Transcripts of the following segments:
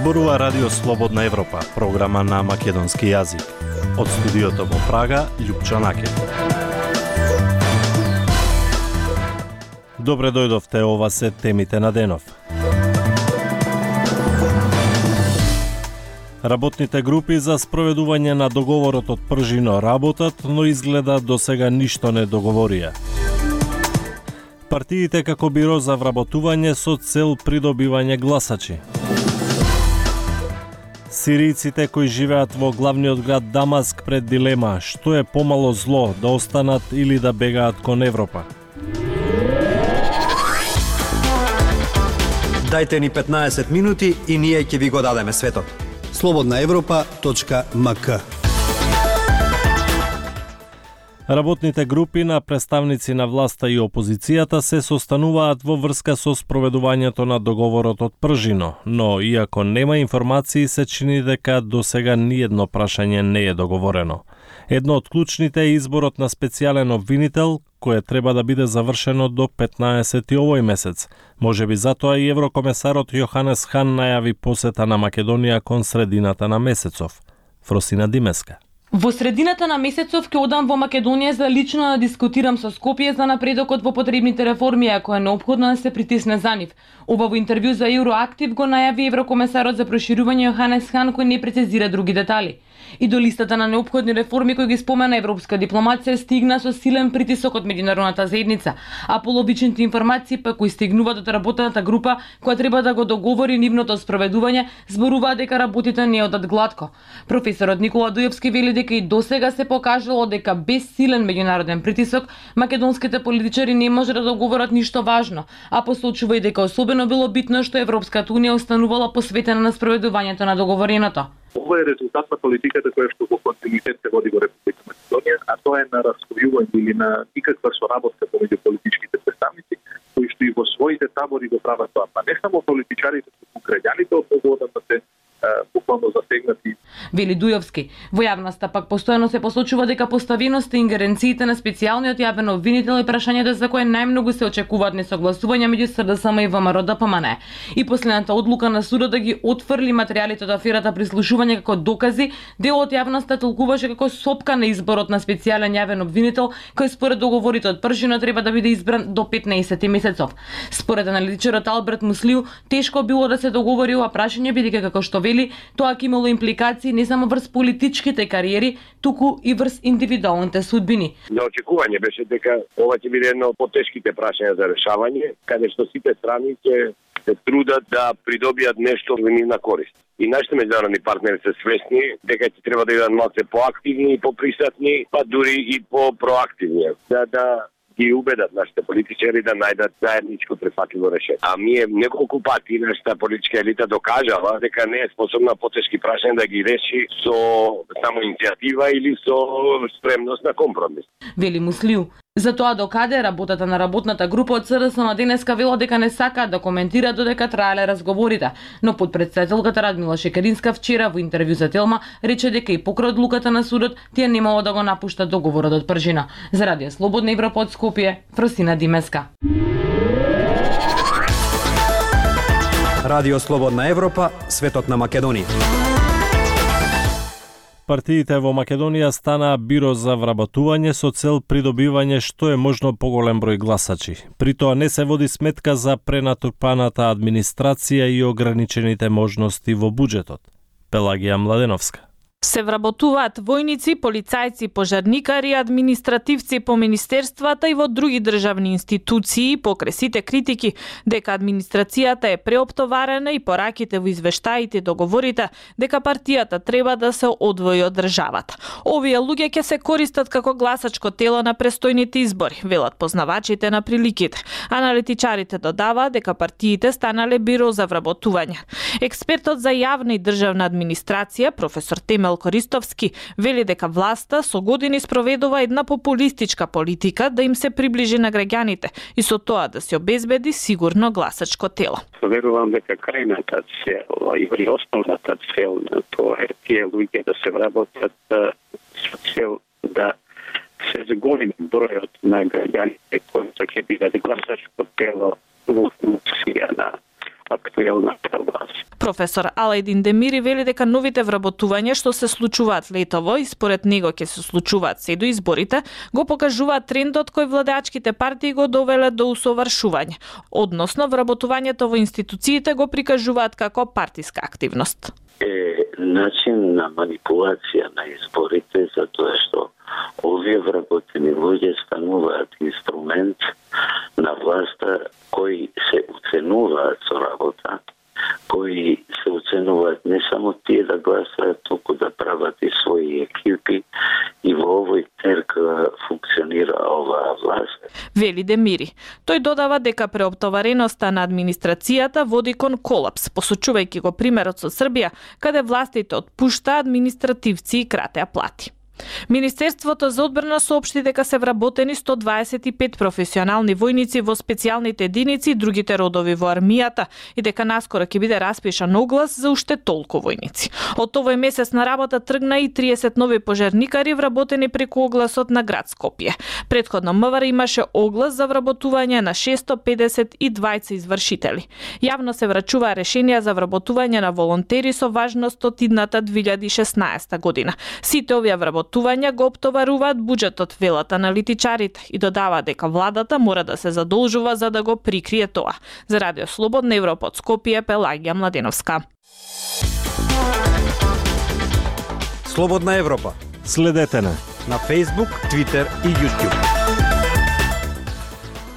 Зборува Радио Слободна Европа, програма на македонски јазик. Од студиото во Прага, Љупчо Накев. Добре дојдовте, ова се темите на денов. Работните групи за спроведување на договорот од Пржино работат, но изгледа досега ништо не договорија. Партиите како биро за вработување со цел придобивање гласачи. Сиријците кои живеат во главниот град Дамаск пред дилема што е помало зло, да останат или да бегаат кон Европа. Дајте ни 15 минути и ние ќе ви го дадеме светот. slobodnaevropa.mk. Работните групи на представници на власта и опозицијата се состануваат во врска со спроведувањето на договорот од Пржино, но иако нема информации, се чини дека досега ниедно прашање не е договорено. Едно од клучните е изборот на специјален обвинител, кое треба да биде завршено до 15 овој месец. Можеби затоа и еврокомесарот Јоханес Хан најави посета на Македонија кон средината на месецов. Фросина Димеска. Во средината на месецов ќе одам во Македонија за лично да дискутирам со Скопје за напредокот во потребните реформи, ако е неопходно да се притисне за нив. Ова во интервју за Евроактив го најави еврокомесарот за проширување Јоханес Хан, кој не прецизира други детали. И до листата на неопходни реформи кои ги спомена европска дипломација стигна со силен притисок од меѓународната заедница, а половичните информации пак кои стигнуваат од работната група која треба да го договори нивното спроведување, зборуваат дека работите не одат глатко. Професорот Никола Дујовски вели дека и досега се покажало дека без силен меѓународен притисок македонските политичари не може да договорат ништо важно, а посочува и дека особено било битно што Европската унија останувала посветена на спроведувањето на договореното. Ова е резултат на политиката која што во континуитет се води во Република Македонија, а тоа е на раскојување или на никаква соработка помеѓу политичките представници, кои што и во своите табори го прават тоа. Па не само политичарите, туку граѓаните од овој да се буквално засегнати. Вели Дујовски. Во јавноста пак постојано се посочува дека поставеноста и ингеренциите на специјалниот јавен обвинител е прашањето за кое најмногу се очекуваат несогласувања меѓу СДСМ и ВМРО-ДПМН. И последната одлука на судот да ги отфрли материјалите од аферата прислушување како докази, дел од јавноста толкуваше како сопка на изборот на специјален јавен обвинител, кој според договорите од Пржино треба да биде избран до 15 месецов. Според аналитичарот Алберт Муслиу, тешко било да се договори ова прашање бидејќи како што вели, тоа ќе имало импликации не само врз политичките кариери, туку и врз индивидуалните судбини. Неочекување беше дека ова ќе биде едно од потешките прашања за решавање, каде што сите страни ќе се трудат да придобијат нешто во нивна корист. И нашите меѓународни партнери се свесни дека ќе треба да бидат малку поактивни и поприсутни, па дури и попроактивни, да ги убедат нашите политичари да најдат заедничко прифатливо решение. А ние неколку пати нашата политичка елита докажала дека не е способна потешки прашања да ги реши со само иницијатива или со спремност на компромис. Вели Муслиу. За тоа докаде работата на работната група од СДСМ денеска вело дека не сакаат да коментира додека траеле разговорите, но подпредседателката Радмила Шекеринска вчера во интервју за Телма рече дека и покрај одлуката на судот тие немало да го напуштат договорот од Пржино. За Радио Слободна Европа од Скопје, Фросина Димеска. Радио Слободна Европа, светот на Македонија. Партиите во Македонија станаа биро за вработување со цел придобивање што е можно поголем број гласачи. При тоа не се води сметка за пренатупаната администрација и ограничените можности во буџетот. Пелагија Младеновска. Се вработуваат војници, полицајци, пожарникари, административци по министерствата и во други државни институции, покрај сите критики дека администрацијата е преоптоварена и пораките во извештаите и договорите дека партијата треба да се одвои од државата. Овие луѓе ќе се користат како гласачко тело на престојните избори, велат познавачите на приликите. Аналитичарите додаваат дека партиите станале биро за вработување. Експертот за јавна и државна администрација, професор Темел Користовски, вели дека власта со години спроведува една популистичка политика да им се приближи на граѓаните и со тоа да се обезбеди сигурно гласачко тело. Верувам дека крајната цел и основната цел на тоа е тие луѓе да се вработат со цел да се зголеми бројот на граѓаните кои ќе бидат гласачко тело во функција на актуелната власт. Професор Алајдин Демири вели дека новите вработувања што се случуваат летово и според него ќе се случуваат се до изборите, го покажуваат трендот кој владеачките партии го довеле до усовршување, односно вработувањето во институциите го прикажуваат како партиска активност. Е начин на манипулација на изборите, затоа што овие вработени луѓе стануваат инструмент на власта кои се оценуваат со работа, кои се оценуваат не само тие да гласаат, туку да прават и своји екипи, и во овој циркул функционира оваа власт. Вели Демири. Тој додава дека преоптовареноста на администрацијата води кон колапс, посочувајќи го примерот со Србија, каде властите отпушта административци и кратеа плати. Министерството за одбрана соопшти дека се вработени 125 професионални војници во специјалните единици и другите родови во армијата и дека наскоро ќе биде распишан оглас за уште толку војници. Од овој месец на работа тргна и 30 нови пожарникари вработени преку огласот на град Скопје. Претходно МВР имаше оглас за вработување на 652 извршители. Јавно се врачува решенија за вработување на волонтери со важност од идната 2016 година. Сите овие вработувања го оптоваруваат буџетот, велат аналитичарите, и додава дека владата мора да се задолжува за да го прикрие тоа. За Радио Слободна Европа од Скопје, Пелагија Младеновска. Слободна Европа. Следете на Facebook, Twitter и YouTube.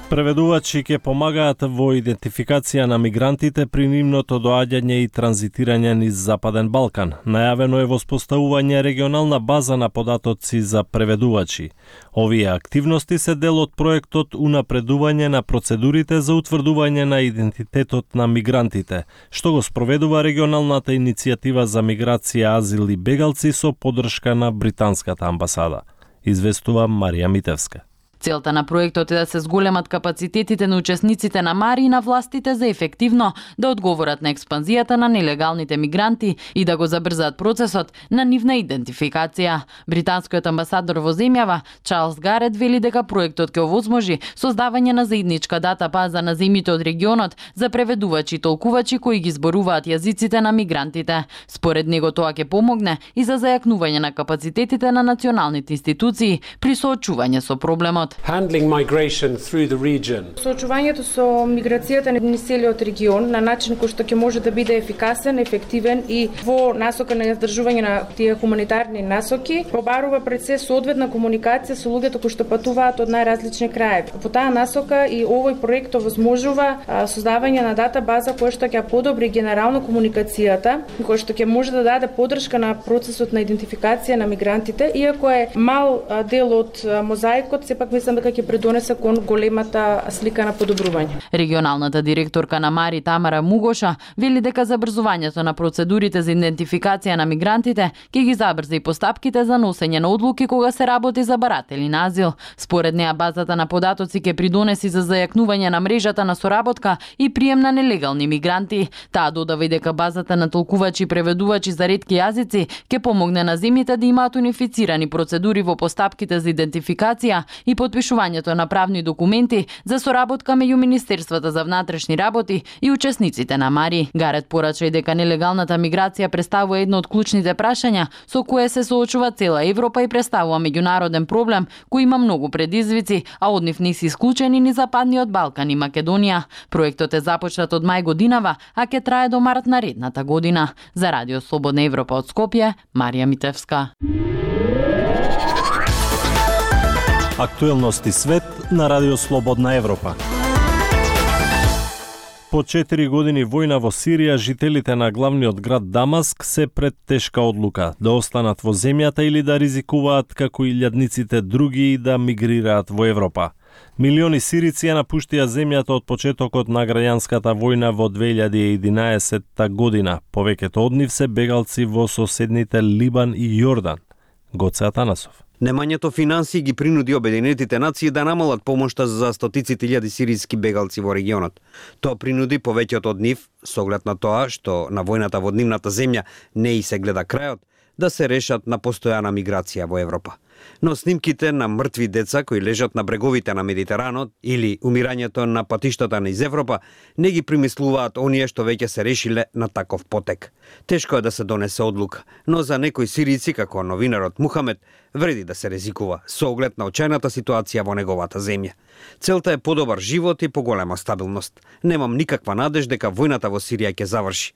Преведувачи ќе помагаат во идентификација на мигрантите при нивното доаѓање и транзитирање низ Западен Балкан. Најавено е воспоставување регионална база на податоци за преведувачи. Овие активности се дел од проектот Унапредување на процедурите за утврдување на идентитетот на мигрантите, што го спроведува регионалната иницијатива за миграција, азил и бегалци со поддршка на британската амбасада. Известува Марија Митевска. Целта на проектот е да се зголемат капацитетите на учесниците на МАРИ и на властите за ефективно да одговорат на експанзијата на нелегалните мигранти и да го забрзаат процесот на нивна идентификација. Британскиот амбасадор во земјава, Чарлс Гарет, вели дека проектот ќе овозможи создавање на заедничка дата база на земјите од регионот за преведувачи и толкувачи кои ги зборуваат јазиците на мигрантите. Според него тоа ќе помогне и за зајакнување на капацитетите на националните институции при соочување со проблемот. Handling migration through the region. Соочувањето со миграцијата на целиот регион на начин кој што ќе може да биде ефикасен, ефективен и во насока на издржување на тие хуманитарни насоки, побарува пред се соодветна комуникација со луѓето кои што патуваат од најразлични краеви. По таа насока и овој проект овозможува создавање на дата база која што ќе подобри генерално комуникацијата, која што ќе може да даде поддршка на процесот на идентификација на мигрантите, иако е мал дел од мозаикот, сепак мислам дека ќе придонесе кон големата слика на подобрување. Регионалната директорка на МАРИ Тамара Мугоша вели дека забрзувањето на процедурите за идентификација на мигрантите ќе ги забрза и постапките за носење на одлуки кога се работи за баратели на азил. Според неа базата на податоци ќе придонеси за зајакнување на мрежата на соработка и прием на нелегални мигранти. Таа додава и дека базата на толкувачи и преведувачи за ретки јазици ќе помогне на земјите да имаат унифицирани процедури во постапките за идентификација и подпишувањето на правни документи за соработка меѓу Министерствата за внатрешни работи и учесниците на МАРИ. Гарет порача и дека нелегалната миграција представува едно од клучните прашања со кое се соочува цела Европа и представува меѓународен проблем кој има многу предизвици, а од нив не се исклучени ни Западниот Балкан и Македонија. Проектот е започнат од мај годинава, а ќе трае до март наредната година. За Радио Слободна Европа од Скопје, Марија Митевска. Актуелности свет на Радио Слободна Европа. По 4 години војна во Сирија, жителите на главниот град Дамаск се пред тешка одлука да останат во земјата или да ризикуваат како и илјадниците други и да мигрираат во Европа. Милиони сирици ја напуштија земјата од почетокот на граѓанската војна во 2011 година. Повеќето од нив се бегалци во соседните Либан и Јордан. Гоце Атанасов. Немањето финансии ги принуди Обединетите нации да намалат помошта за стотиците илјади сирийски бегалци во регионот. Тоа принуди повеќето од нив, со оглед на тоа што на војната во нивната земја не и се гледа крајот, да се решат на постојана миграција во Европа. Но снимките на мртви деца кои лежат на бреговите на Медитеранот или умирањето на патиштата низ Европа не ги примислуваат оние што веќе се решиле на таков потек. Тешко е да се донесе одлука, но за некои сирици, како новинарот Мухамед, вреди да се ризикува со оглед на очајната ситуација во неговата земја. Целта е подобар живот и поголема стабилност. Немам никаква надеж дека војната во Сирија ќе заврши.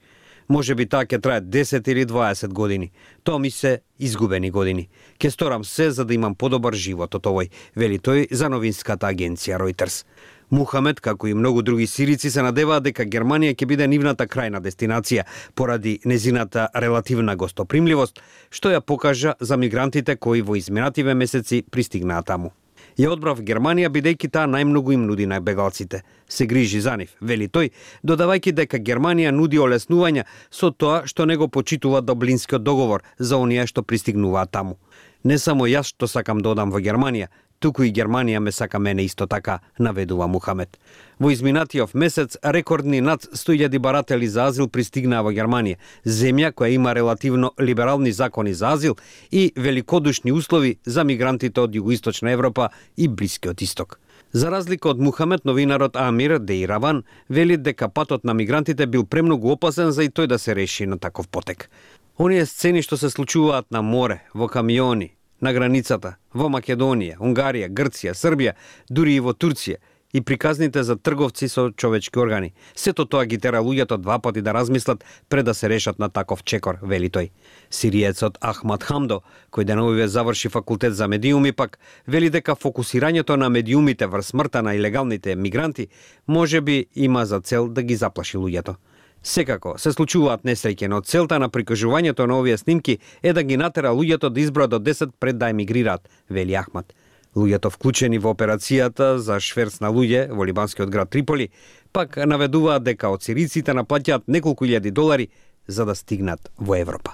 Може би таа ќе трае 10 или 20 години. Тоа ми се изгубени години. Ке сторам се за да имам подобар живот од овој, вели тој за новинската агенција Reuters. Мухамед, како и многу други сирици, се надеваат дека Германија ќе биде нивната крајна дестинација поради незината релативна гостопримливост, што ја покажа за мигрантите кои во изминативе месеци пристигнаа таму. Ја одбрав Германија бидејќи таа најмногу им нуди на бегалците. Се грижи за нив, вели тој, додавајќи дека Германија нуди олеснувања со тоа што не го почитува Дублинскиот договор за оние што пристигнуваат таму. Не само јас што сакам да одам во Германија, туку и Германија ме сака мене исто така, наведува Мухамед. Во изминатиот месец рекордни над 100.000 баратели за азил пристигнаа во Германија, земја која има релативно либерални закони за азил и великодушни услови за мигрантите од Југоисточна Европа и Блискиот Исток. За разлика од Мухамед, новинарот Амир Дейраван вели дека патот на мигрантите бил премногу опасен за и тој да се реши на таков потек. Оние сцени што се случуваат на море, во камиони, на границата, во Македонија, Унгарија, Грција, Србија, дури и во Турција, и приказните за трговци со човечки органи. Сето тоа ги тера луѓето два пати да размислат пред да се решат на таков чекор, вели тој. Сириецот Ахмад Хамдо, кој деновиве заврши факултет за медиуми, пак вели дека фокусирањето на медиумите врз смртта на илегалните мигранти може би има за цел да ги заплаши луѓето. Секако, се случуваат несреќи, но целта на прикажувањето на овие снимки е да ги натера луѓето да изброат до 10 пред да емигрираат, вели Ахмад. Луѓето вклучени во операцијата за шверц на луѓе во либанскиот град Триполи пак наведуваат дека од сириците наплаќаат неколку илјади долари за да стигнат во Европа.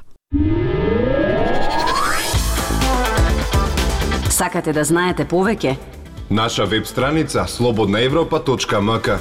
Сакате да знаете повеќе? Наша веб страница slobodnaevropa.mk.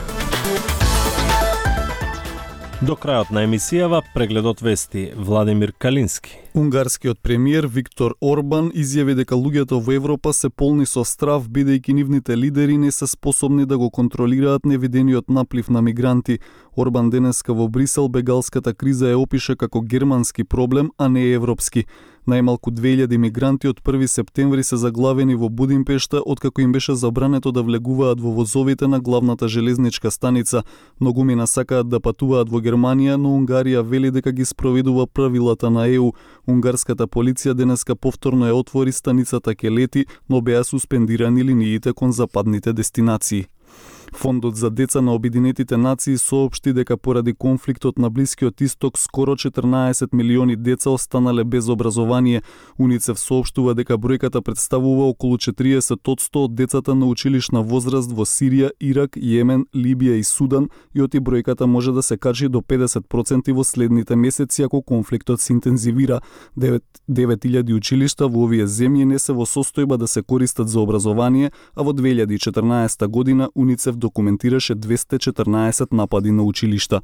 До крајот на емисијава прегледот вести Владимир Калински. Унгарскиот премиер Виктор Орбан изјави дека луѓето во Европа се полни со страв бидејќи нивните лидери не се способни да го контролираат невидениот наплив на мигранти. Орбан денеска во Брисел бегалската криза ја опиша како германски проблем, а не европски. Најмалку 2000 мигранти од 1 септември се заглавени во Будимпешта откако им беше забрането да влегуваат во возовите на главната железничка станица. Многумина сакаат да патуваат во Германија, но Унгарија вели дека ги спроведува правилата на ЕУ. Унгарската полиција денеска повторно ја отвори станицата Келети, но беа суспендирани линиите кон западните дестинации. Фондот за деца на Обединетите нации соопшти дека поради конфликтот на Блискиот Исток скоро 14 милиони деца останале без образование. УНИЦЕФ соопштува дека бројката представува околу 40% од децата на училишна возраст во Сирија, Ирак, Јемен, Либија и Судан и оти бројката може да се качи до 50% во следните месеци ако конфликтот се интензивира. 9000 училишта во овие земји не се во состојба да се користат за образование, а во 2014 година УНИЦЕФ документираше 214 напади на училишта.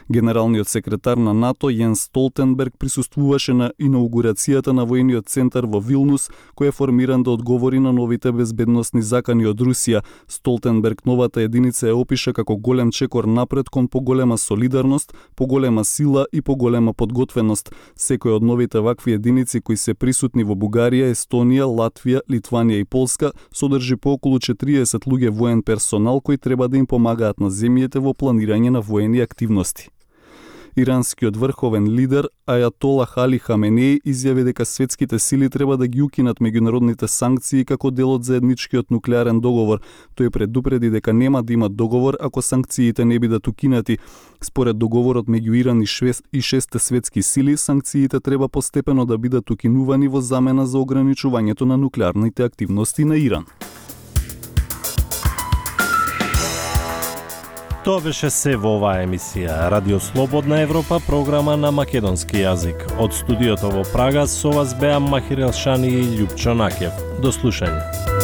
Генералниот секретар на НАТО Јенс Столтенберг присуствуваше на инаугурацијата на војниот центар во Вилнус, кој е формиран да одговори на новите безбедносни закани од Русија. Столтенберг новата единица ја опиша како голем чекор напред кон поголема солидарност, поголема сила и поголема подготвеност. Секој од новите вакви единици кои се присутни во Бугарија, Естонија, Латвија, Литванија и Полска содржи по околу 40 луѓе воен персонал кои треба да им помагаат на земјите во планирање на воени активности. Иранскиот врховен лидер Ајатола Али Хаменеи изјави дека светските сили треба да ги укинат меѓународните санкции како дел од заедничкиот нуклеарен договор. Тој предупреди дека нема да има договор ако санкциите не бидат укинати. Според договорот меѓу Иран и шесте светски сили, санкциите треба постепено да бидат укинувани во замена за ограничувањето на нуклеарните активности на Иран. Тоа беше се во оваа емисија. Радио Слободна Европа, програма на македонски јазик. Од студиото во Прага со вас беа Махир Елшани и Љупчо Накев. До слушање.